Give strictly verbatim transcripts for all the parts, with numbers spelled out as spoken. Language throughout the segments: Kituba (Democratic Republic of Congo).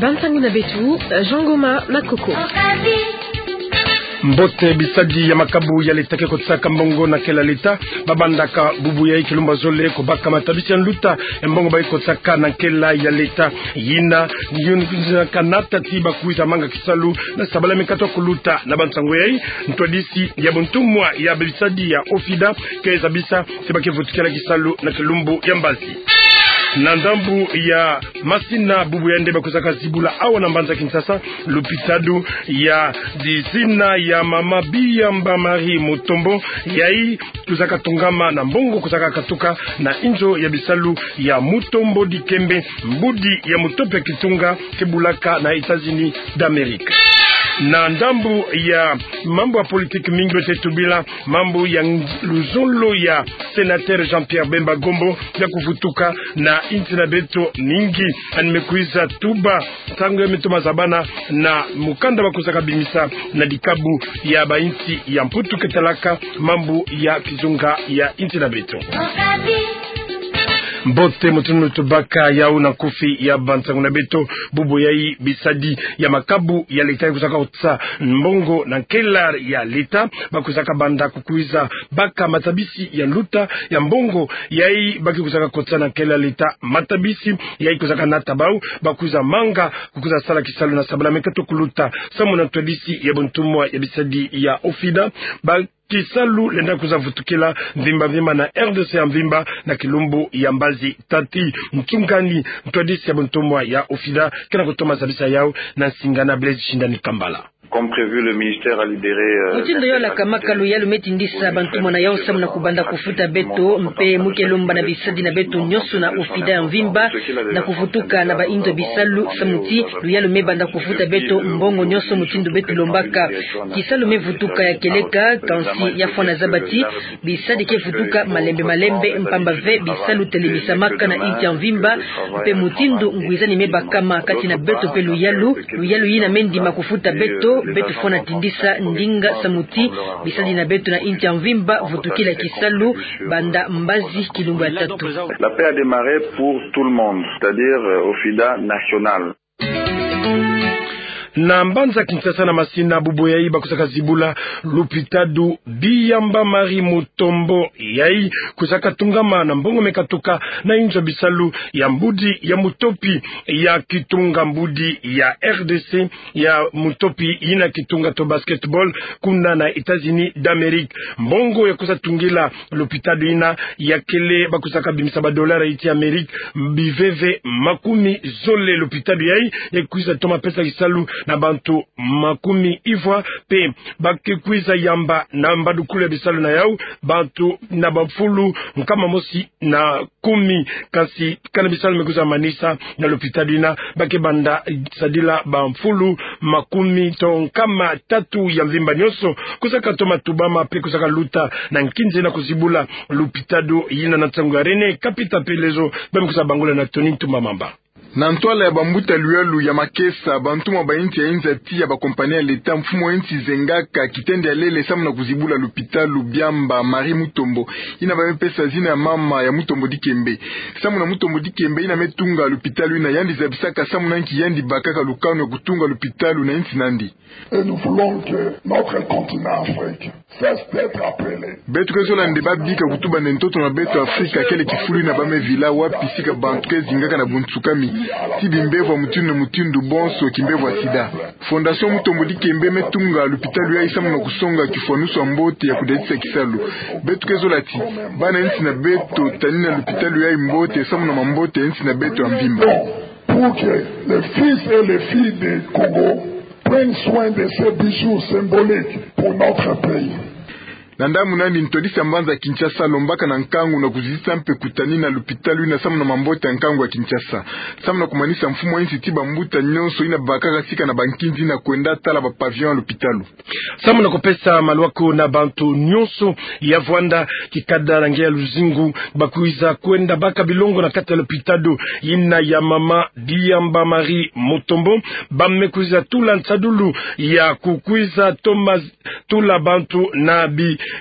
Bansangu na beto, Jean Ngoma na Koko. Mbote. Bisadi ya makabu ya leta ke kotisaka mbongo na kela leta, babandaka bubu yayi kilumbu zole kobaka matabisi ya nluta ya mbongo bayi kotisaka na kela ya leta. Yina, yina kanata ti bakwiza manga kisalu na sabala mekatu kuluta. Na bansangu yayi, ntwadisi ya buntumwa ya bisadi ya OFIDA ke zabisa ti ba ke vutukila kisalu na kilumbu ya mbazi. Na ndambu ya masina, bubu yandi bakwizaka zibula awa na mbanza Kinshasa lupitalu ya dizina ya mama Biyamba Marie Mutombo, yayi kwizaka tongama na mbongo kwizaka katuka na inzo ya bisalu ya Mutombo Dikembe, mbudi ya mutopi ya kitunga ke bulaka na États-Unis d'Amérique. Na ndambu ya mambu ya politique, mingi bete tubila mambu ya ng-, luzolo ya sénateur Jean-Pierre Bemba Gombo ya kuvutuka na insi na beto. Mingi yandi mekwiza tuba nsangu ya metoma zabana na mukanda bakwizaka bimisa na dikabu ya bainsi ya Mputu ke talaka mambu ya kizunga ya insi na beto. Mbote, mutindu tubaka yawu na nkufi ya bansangu na beto, bubu yayi bisadi ya makabu ya leta yayi kwizaka kotisa mbongo na nkela ya leta, bakwizaka banda kukwiza baka matabisi ya nluta ya mbongo yayi ba ke kwizaka kotisa na nkela leta. Matabisi yayi kwizaka nata bawu bakwiza manga kukwiza sala kisalu na sabala mekatu kuluta, samu na ntwadisi ya buntumwa ya bisadi ya OFIDA. Ba kisalu lenda kwiza vutukila mvimba mvimba na RDC ya mvimba na kilumbu ya mbazi. Tati Mtsungani, ntwadisi ya buntumwa ya OFIDA, kena kutoma zabisa yawu na nsinga na Blaise Shindani Kambala. Comme prévu, le ministère a libéré, euh, mutindu yo lakamaka, luyalu me tindisa bantumwa na yawu samu na kubanda kufuta beto, mpe mu ke lomba na bisadi na beto nyonso na OFIDA ya mvimba na kuvutuka na bainzo bisalu samu ti luyalu me banda kufuta beto mbongo nyonso mutindu beto lombaka. Kisalu me vutuka ya kieleka, kansi ya fwana zaba ti bisadi ke vutuka malembe malembe, mpamba ve bisalu telemisamaka na insi ya mvimba, mpe mutindu ngwizani me bakama kati na beto mpe luyalu, luyalu yina me ndima kufuta beto, beto fwana tindisa ndinga samu ti bisadi na beto na insi ya mvimba vutukila kisalu banda mbazi kilumbu ya tatu. La paix a démarré pour tout le monde, c'est-à-dire, euh, OFIDA national. Na mbanza Kinshasa na masina, bubu yayi bakwizaka zibula lupitalu Biyamba Marie Mutombo, yayi kwizaka tongama na mbongo me katuka na inzo bisalu ya mbudi ya mutopi ya kitunga, mbudi ya RDC ya mutopi yina kitunga to basketball kuna na États-Unis d'Amérique. Mbongo ya kwiza tungila lupitalu yina ya kele, bakwizaka bimisa ba dollars ya insi ya Amérique biveve makumi zole. Lupitalu yayi ya kwiza toma pesa kisalu na bantu makumi ivwa, mpe ba ke kwiza yamba na mbadukulu ya bisalu na yawu bantu na bamfulu nkama mosi na kumi. Kansi kana bisalu me kwiza manisa na lupitalu yina, ba ke banda sadila bamfulu makumi to nkama tatu ya mvimba nyonso. Kwizaka toma tubama mpe kwizaka luta na nkinzi na kuzibula lupitalu yina. Na nsangu ya René Kapita Pelezo, ba me kwiza bangula na Tony Ntumba Mamba. Na ntwala ya bambuta luyalu ya makesa, bantumwa ba insi ya inzati ya ba compagnie ya leta, mfumu wa insi zengaka kitendi ya lele samu na kuzibula lupitalu Biyamba Marie Mutombo, yina ba me pesa zina ya mama ya Mutombo Dikembe. Samu na Mutombo Dikembe yina me tunga lupitalu yina, yandi zabisaka samu na nki yandi bakaka lukanu ya kutunga lupitalu na insi nandi. Et nous voulons que notre continent Afrique cesse d'être appelé. Beto ke zola nde ba bika kutuba nde ntoto na beto Afrika kele kifulu yina ba me vila, wapi sika bantu ke zingaka na bunsukami, ti bimbevo ya mutindu na mutindu, bonso kimbevo ya sida. Fondation Mutombo Dikembe me tunga lupitalu yayi samu na kusonga kifwanusu ya mbote ya kudadisa kisalu. Beto ke zola ti bana insi na beto tanina lupitalu yayi mbote samu na mambote ya insi na beto ya mvimba. Pour que les fils et les filles de Congo prennent soin de ces bijoux symboliques pour notre pays. Na ndambu nandi, ntwadisi ya mbanza Kinshasa alombaka na nkangu na kuzitisa mpe kutanina lupitalu yina samu na mambote ya nkangu ya Kinshasa. Samu na kumanisa, mfumu wa insi ti bambuta nyonso yina bakaka sika na bankinzi yina kwenda tala ba pavillon ya lupitalu. Samu na kupesa malwaku na bantu nyonso ya vwanda kikada na nge ya luzingu, bakwiza kwenda baka bilongo na kati ya lupitalu yina ya mama Biyamba Marie Mutombo, ba me kwiza tula nsadulu ya kukwiza toma tula bantu na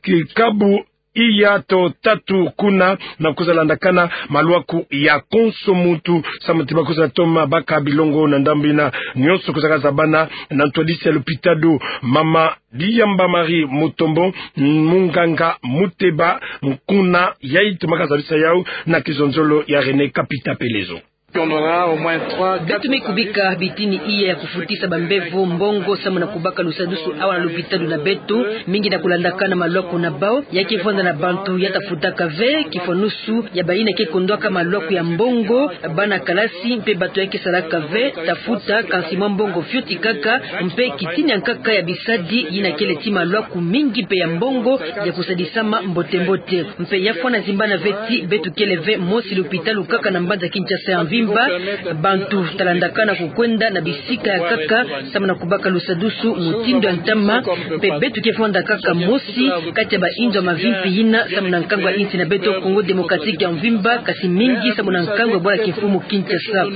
bikabu iya to tatu kuna, na kwiza landakana malwaku ya konso muntu, samu ti ba kwiza toma baka bilongo na ndambu ina. Nyonso kwizaka zabana na ntwadisi ya lopitalo, mama Diyamba Marie Mutombo, munganga Muteba, nkuna yai tomaka zabisa yau na kizonzolo ya René Kapita Pelezo. Beto me kubika bitini iya ya kufutisa bambevo mbongo samu na kubaka lusadusu awa na lopitalo na beto, mingi na kulandakana malwaku na bau, ya ke vwanda na bantu ya tafutaka ve, kifwanusu ya bayina ke kondwaka malwaku ya mbongo, bana kalasi mpe bantu ya ke salaka ve, tafuta, kansi mwa mbongo fioti kaka, mpe kitini ya nkaka ya bisadi yina kele ti malwaku mingi mpe ya mbongo ya kusadisama mbote-mbote. Mpe ya fwana zimbana ve ti beto kele ve mosi lopitalo kaka na mbanza Kinshasa ya mvimba, bantu talandakana kukwenda na bisika ya nkaka, samu na kubaka lusadusu mutindu ya ntama, mpe beto ke vwanda kaka mosi kati ya bainzo ya mavimpi yina, samu na nkangu ya insi na beto Congo Démocratique ya mvimba, kasi mingi samu na nkangu ya bwala kimfumu Kinshasa.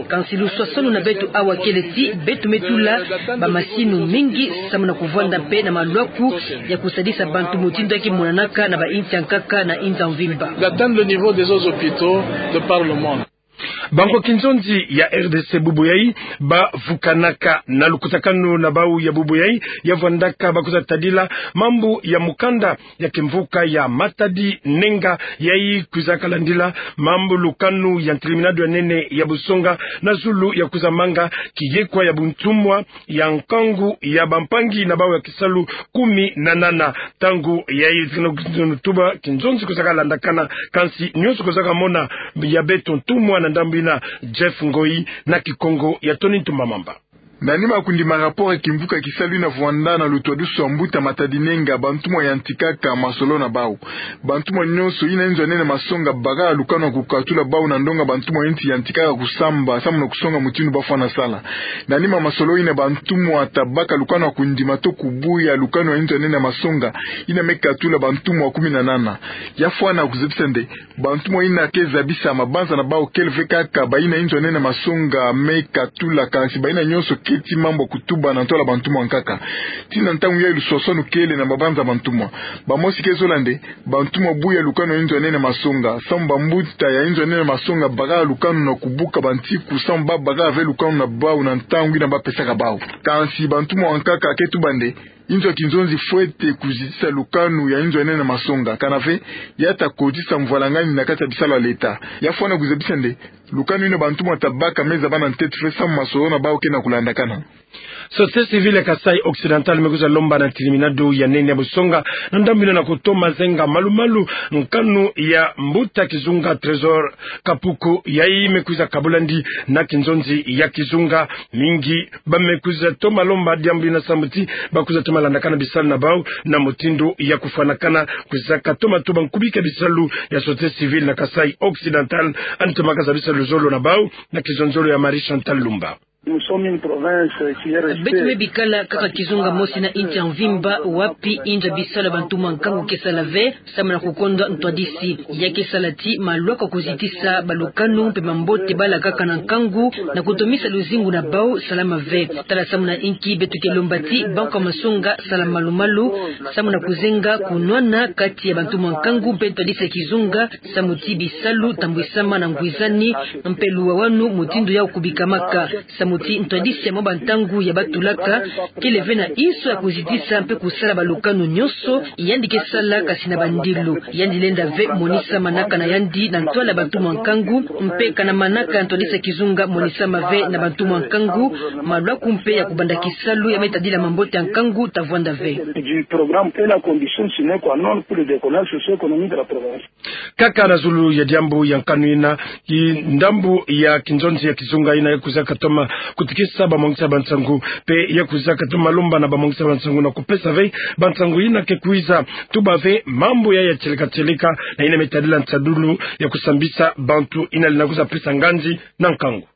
Kansi luswaswanu na beto awa kele ti beto me tula bamasinu mingi, samu na kuvwanda mpe na malwaku ya kusadisa bantu mutindu ya ke monanaka na bainzo ya nkaka na inzo ya mvimba. D'atteindre le niveau des autres hôpitaux de par le monde. Banko kinzonzi ya R D C bubu yai bavukanaka na lukutakanu na bau ya bubu yai, ya vwandaka ba kwiza tadila mambu ya mukanda ya kimvuka ya Matadi Nenga, yai kwizaka landila mambu lukanu ya ntilimina ya nene ya busonga na zulu ya kwiza manga kiyekwa ya buntumwa ya nkangu ya bampangi na bau ya kisalu kumi na nana. Ntangu yai, tuba kinzonzi kwizaka landakana, kansi nyonso kwizaka mona ya beto ntumwa na ndambu ina, Jeff Ngoi na kikongo ya Tony Ntumba Mamba. Na nima ya kundima rapport ya kimvuka kisalu yina vwanda na lutwadusu ya mbuta Matadi Nenga, bantumwa yantikaka masolo na bau. Bantumwa nyonso yina inzo ya nene masonga baka lukanu ya kukatula bau na ndonga bantumwa ya insi yantikaka kusamba, samu na kusonga mutindu ba fwana sala. Na nima ya masolo yina, bantumwa tabaka lukanu ya kundima to kubuya lukanu ya inzo ya nene masonga yina me katula bantumwa kumi na nana. Ya fwana kuzabisa nde bantumwa yina ke zabisa mabanza na bau kele ve kaka bayina inzo ya nene masonga me katula, kansi bayina nyonso ke ti mambu ya kutuba na ntwala bantumwa ya nkaka. Tii na ntangu yai luswaswanu kele na mabanza ya bantumwa. Bamosi ke zola nde bantumwa buya lukanu ya inzo ya nene masonga, samu bambuta ya inzo ya nene masonga baka lukanu na kubuka bantiku, samu ba baka ve lukanu na bau na ntangu yina ba pesaka bau. Kansi bantumwa ya nkaka ke tuba nde inzo ya kinzonzi fwete kuzitisa lukanu ya inzo ya nene masonga, kana ve ya ta kotisa mvwalangani na kati ya bisalu ya leta. Ya fwana kuzabisa nde lukanu yina bantumwa tabaka me zabana ntete ve samu masolo na bau ke na kulandakana. Société civile ya Kasaï Occidental me kwiza lomba na ntilimina ya nene ya busonga na ndambu ina na kutoma zenga malu-malu nkanu ya mbuta kizunga Trésor Kapuku, yai me kwiza kabula ndi na kinzonzi ya kizunga. Mingi ba me kwiza toma lomba diambu ina samu ti ba kwiza toma landakana bisalu na bau na mutindu ya kufwanakana. Kwizaka toma tuba nkubika bisalu ya société civile na Kasaï Occidental, yandi tomaka zabisa luzolo na bau na kizonzolo ya Marie Chantal Lumba. Nous sommes une province qui est restée. Beto me bikala kaka kizunga mosi na insi ya mvimba, wapi inzo ya bisalu ya bantumwa ya nkangu ke sala ve, samu na kukondwa ntwadisi. Ya ke sala ti malwaku ya kuzitisa balukanu mpe mambote bala kaka na nkangu, na kutomisa luzingu na bau, salama ve. Tala samu na inki beto ke lomba ti banko ya masonga sala malu-malu, samu na kuzenga kunwana kati ya bantumwa ya nkangu mpe ntwadisi ya kizunga, samu ti bisalu tambwisama na ngwizani, mpe luwawanu mutindu yau kubikamaka. Samu ti ntwadisi ya mwa bantangu ya batulaka kele ve na inso ya kuzitisa mpe kusala balukanu nyonso, yandi ke sala kasi na bandilu. Yandi lenda ve monisama na kana yandi na ntwala bantumwa ya nkangu, mpe kana manaka ntwadisi ya kizunga monisama ve na bantumwa ya nkangu, malwaku mpe ya kubanda kisalu ya me tadila mambote ya nkangu ta vwanda ve. Du programme est la condition sine qua non pour le décollage socio-économique de la province. Kaka na zulu ya diambu ya nkanu ina, ki ndambu ya kinzonzi ya kizunga ina ya kwizaka toma kutikisa bamwangisa bansangu, mpe ya kwizaka toma lomba na bamwangisa bansangu na kupesa ve bansangu ina ke kwiza tuba ve mambu ya ya tieleka-tieleka na ina me tadila nsadulu ya kusambisa bantu ina lenda kwiza pesa nganzi na nkangu.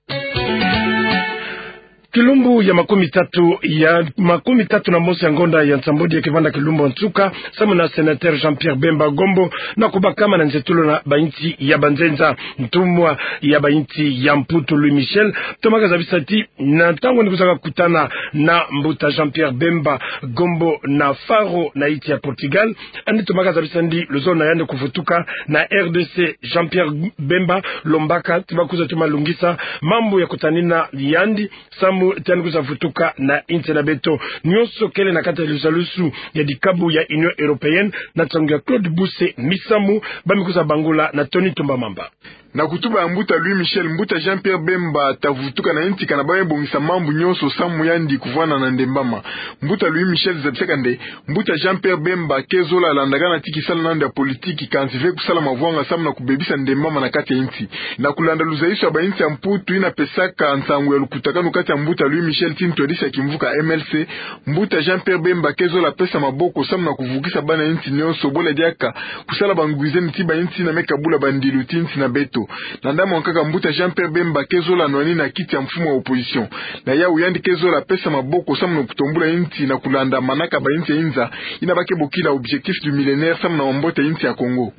Kilumbu ya makumi tatu, ya makumi tatu na mosi ya ngonda ya nsambwadi ya kivanda kilumbu ya nsuka, samu na sénateur Jean-Pierre Bemba Gombo na kubakama na nzietolo na bainsi ya banzenza. Ntumwa ya bainsi ya Mputu Louis Michel tomaka zabisa ti na ntangu yandi kuzaka kutana na mbuta Jean-Pierre Bemba Gombo na Faro na insi ya Portugal, yandi tomaka zabisa ndi luzolo na yandi kuvutuka na R D C. Jean-Pierre Bemba lombaka ti bakwiza toma lungisa mambu ya kutanina yandi, samu ti yandi kwiza vutuka na insi na beto. Nyonso kele na kati ya lizalusu ya dikabu ya Union Européenne, na nsangu ya Claude Buse Misamu, ba me kwiza bangula na Tony Tumba Mamba. Na kutuba ya mbuta Louis Michel, mbuta Jean-Pierre Bemba ta vutuka na insi kana ba me bongisa mambu nyonso samu yandi kuvwanda na ndembama. Mbuta Louis Michel zabisaka nde, mbuta Jean-Pierre Bemba ke zola landakana ti kisalu na yandi ya politiki, kansi ve kusala mavwanga samu na kubebisa ndembama na kati ya insi. Na kulanda luzaiso ya bainsi ya Mputu yina pesaka nsangu ya lukutakanu kati ya mbuta Louis Michel ti ntwadisi ya kimvuka M L C, mbuta Jean-Pierre Bemba ke zola pesa maboko samu na kuvukisa bana insi nyonso, bole diaka kusala bangwizeni ti bainsi yina me kabula bandilu ti insi na beto. Na ndambu yankaka mbuta Jean-Pierre Bemba ke zola nwanina kiti ya mfumu ya opposition. Na yawu yandi ke zola pesa maboko samu na kutombula insi na kulanda manaka bainsi ya inza, yina ba ke bokila objectif du millénaire samu na mambote ya insi ya Congo.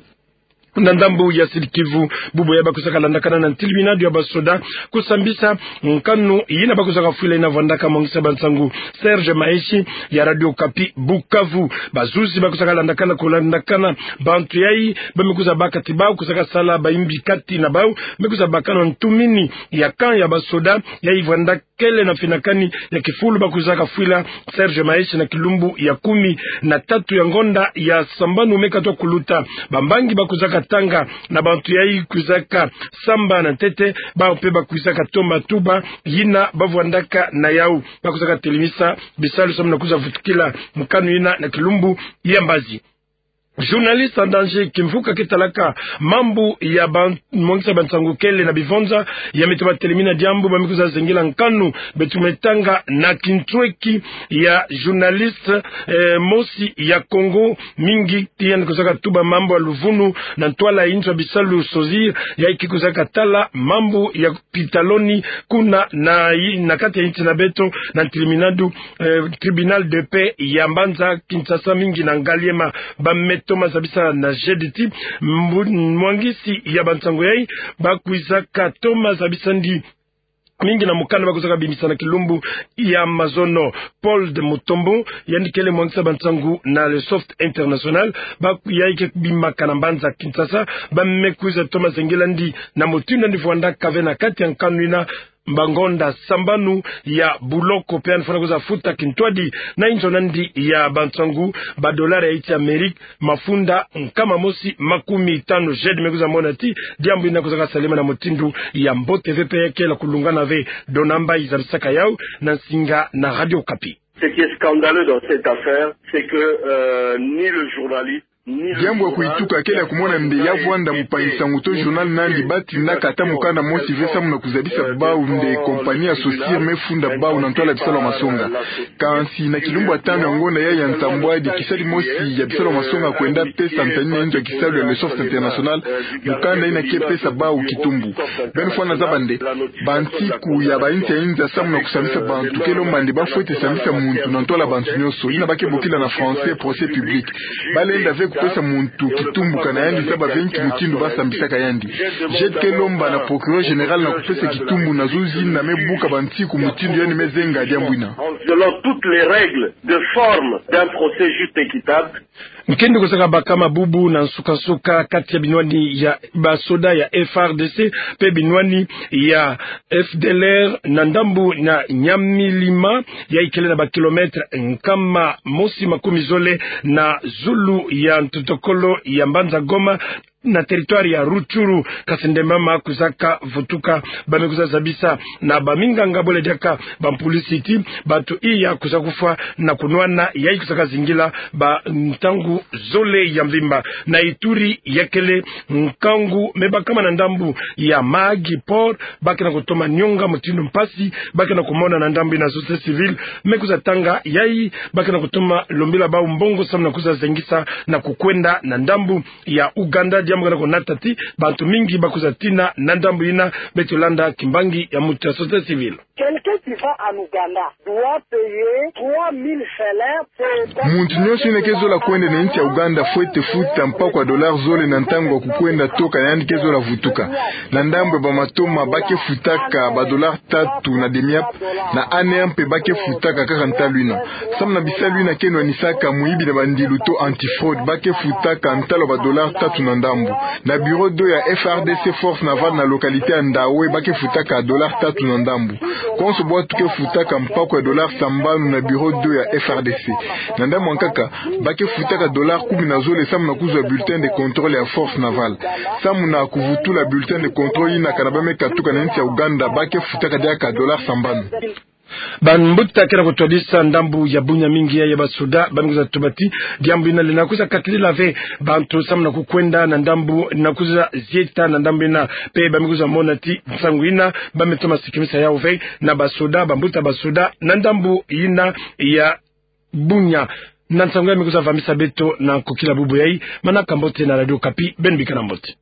Na ndambu ya Sud-Kivu, bubu yayi bakwizaka landakana na ntiliminadu ya basoda kusambisa nkanu yina bakwizaka fwila yina vwandaka mwangisa bansangu Serge Maheshi ya Radio Okapi Bukavu. Bazuzi bakwizaka landakana kulandakana bantu yayi ba me kwiza baka ti bawu kwizaka sala bayimbi kati na bawu, me kwiza bakana ntumini ya camp ya basoda yayi vwandaka kele na finakani ya kifulu bakwizaka fwila Serge Maheshi na kilumbu ya kumi na tatu ya ngonda ya sambanu me katuka kuluta. Bambangi bakwizaka tanga na bantu yayi kwizaka samba na ntete, bawu mpe bakwizaka toma tuba yina bavwandaka na yawu. Bakwizaka telemisa bisalu samu na kwiza vutukila nkanu yina na kilumbu ya mbazi. Journaliste en danger, kimvuka ke talaka mambu ya ba mwangisa bansangu kele na bivonza, ya me toma telemina diambu ba me kwiza zengila nkanu beto me tanga na kintweki ya journaliste, eh, mosi ya Congo mingi, ti yandi kwizaka tuba mambu ya luvunu na ntwala ya inzo ya bisalu SOGIR, yayi ke kwizaka tala mambu ya pitaloni kuna na, na kati ya insi na beto, na ntiliminadu, eh, tribunal de paix ya mbanza Kinshasa mingi na Ngaliema. Ba me toma zabisa na jeudi ti mbu-, mwangisi ya bansangu yayi bakwizaka toma zabisa ndi mingi na mukanda bakwizaka bimisa na kilumbu ya mazono. Paul de Mutombo, yandi kele mwangisa bansangu na Le Soft International, ba yayi ke bimaka na mbanza Kinshasa, ba me kwiza toma zengila ndi na mutindu yandi vwandaka ve na kati ya nkanu yina, bangonda sambanu ya buloko, mpe yandi fwana kwiza futa kintwadi na inzo na ndi ya bansangu, ba dollar ya insi ya Amerika mafunda nkama mosi makumi tanu. Jeudi me kwiza mona ti diambu yina kwizaka salema na mutindu ya mbote ve mpe ya kela kulungana ve. Dona Mbayi zabisaka yawu na nsinga na Radio Okapi. Ce qui est scandaleux dans cette affaire, c'est que, euh, ni le journaliste, ni le journal... Diambu ya kuyituka kele ya kumona nde ya vwanda mupangi-nsangu to journal nandi ba tindaka ata mukanda mosi ve samu na kuzabisa bawu nde compagnie ya SOGIR me funda bawu na ntwala ya bisalu ya masonga. Kansi na kilumbu ya tanu ya ngonda yayi ya nsambwadi, kisadi mosi ya bisalu ya masonga kwenda pesa ntanina inzo ya kisalu ya Le Soft International mukanda yina ke pesa bawu kitumbu. Beno fwana zaba nde bansiku ya bainsi ya inza samu na kusambisa bantu, ke lomba nde ba fwete sambisa muntu na ntwala ya bantu nyonso, yina ba ke bokila na français procès public. Ba lenda ve kupesa muntu kitumbu kana yandi zaba ve nki mutindu ba sambisaka yandi. Jeudi ke lomba na procureur général na kupesa kitumbu na zuzi yina me buka bansiku mutindu yandi me zenga diambu yina. En violant toutes les règles de forme d'un procès juste et équitable. Nkindu kwizaka bakama bubu na nsuka-nsuka kati ya binwani ya basoda ya F A R D C mpe binwani ya F D L R na ndambu na Nyamilima, yayi kele na ba kilomètre nkama mosi makumi zole na zulu ya ntotokolo ya mbanza Goma, na territoire ya Rutshuru. Kasi ndembama kwizaka vutuka, ba me kwiza zabisa na baminganga bole diaka bampulisi ti bato iya kwiza kufwa na kunwana, yayi kwizaka zingila ba ntangu zole ya mvimba. Na Ituri, ya kele nkangu me bakama na ndambu ya Mahagi Port, ba ke na kutoma nionga mutindu mpasi ba ke na kumona na ndambu yina société civile me kwiza tanga yayi, ba ke na kutoma lombila bawu mbongo samu na kwiza zengisa na kukwenda na ndambu ya Ouganda. Samu kana ko nata ti bantu mingi ba kwiza tina na ndambu yina. Beto landa kimbangi ya muntu ya société civile. Quelqu'un qui va en Ouganda doit payer trois mille chelem. Muntu nyonso yina ke zola kwenda na insi ya Ouganda fwete futa mpakwa dollar zole na ntangu ya kukwenda toka na yandi ke zola vutuka. Na ndambu ya bamatoma ba ke futaka ba dollar tatu na demi-heure, na ANR mpe ba ke futaka kaka ntalu yina. Samu na bisalu yina ke nwanisaka muyibi na bandilu to anti-fraude, ba ke futaka ntalu ya ba dollar tatu na ndambu. Na bureau d'eau ya F R D C Force Navale na localité ya Ndawe ba ke futaka dollar tatu na ndambu. Konso bwatu ke futaka mpakwa ya dollar sambanu na bureau d'eau ya F R D C. Na ndambu ya nkaka, ba ke futaka dollar kumi na zole samu na kuzwa bulletin de contrôle ya Force Navale. Samu na kuvutula bulletin de contrôle yina kana ba me katuka na insi ya Ouganda, ba ke futaka diaka dollar sambanu. Bambuta ke na kutwadisa ndambu ya Bunia mingi ya, ya basoda ba me kwiza tuba ti diambu yina lenda kwiza katilila ve bantu samu na kukwenda na ndambu na kwiza zieta na ndambu yina. Mpe ba me kwiza mona ti nsangu yina ba me toma sikimisa yawu ve na basoda, bambuta basoda na ndambu yina ya Bunia. Na nsangu ya me kwiza vambisa beto na nkokila bubu yayi. Manaka mbote na Radio Okapi, beno bikana mbote.